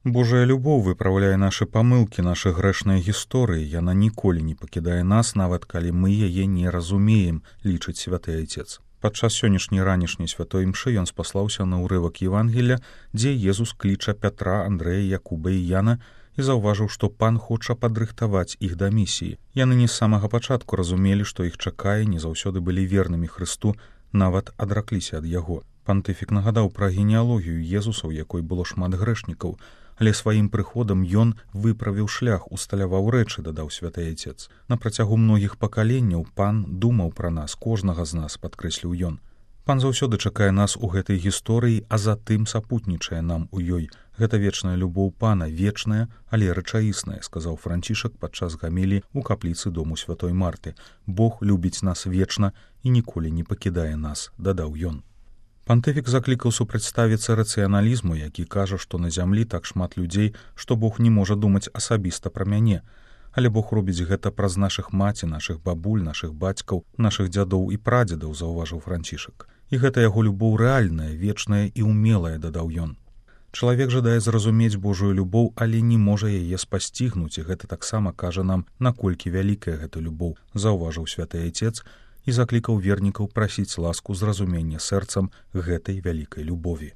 Божая любоў выпраўляе нашы памылкі, нашы грэшныя гісторыі. Яна ніколі не пакідае нас, нават калі мы яе не разумеем, лічыць святы Айцец. Падчас сённяшняй ранішняй святой імшы ён спаслаўся на ўрывак Евангелля, дзе Езус кліча Пятра, Андрэя, Якуба і Яна і заўважыў, што пан хоча падрыхтаваць іх да місіі. Яны не з самага пачатку разумелі, што іх чакае, не заўсёды былі вернымі Хрысту, нават адракліся ад яго. Пантыфік нагадаў пра генеалогію Езуса, у якой было шмат грэшнікаў, але сваім прыходам ён выправіў шлях, усталяваў рэчы, дадаў святы Айцец. На працягу многіх пакаленняў пан думаў пра нас, кожнага з нас, падкрэсліў ён. Пан заўсёды чакае нас у гэтай гісторыі, а затым сапутнічае нам у ёй. Гэта вечная любоў пана, вечная, але рэчаісная, сказаў Францішак падчас гаміліі ў капліцы дому святой Марты. Бог любіць нас вечна і ніколі не пакідае нас, дадаў ён. Пантыфік заклікаў супрацьставіцца рацыяналізму, які кажа, што на зямлі так шмат людзей, што Бог не можа думаць асабіста пра мяне. Але Бог робіць гэта праз нашых маці, нашых бабуль, нашых бацькаў, нашых дзядоў і прадзедаў, заўважыў Францішак. І гэта яго любоў рэальная, вечная і ўмелая, дадаў ён. Чалавек жадае зразумець Божую любоў, але не можа яе спасцігнуць, і гэта таксама кажа нам, наколькі вялікая гэта любоў, заўважыў святы Айцец і заклікаў вернікаў прасіць ласку зразумення сэрцам гэтай вялікай любові.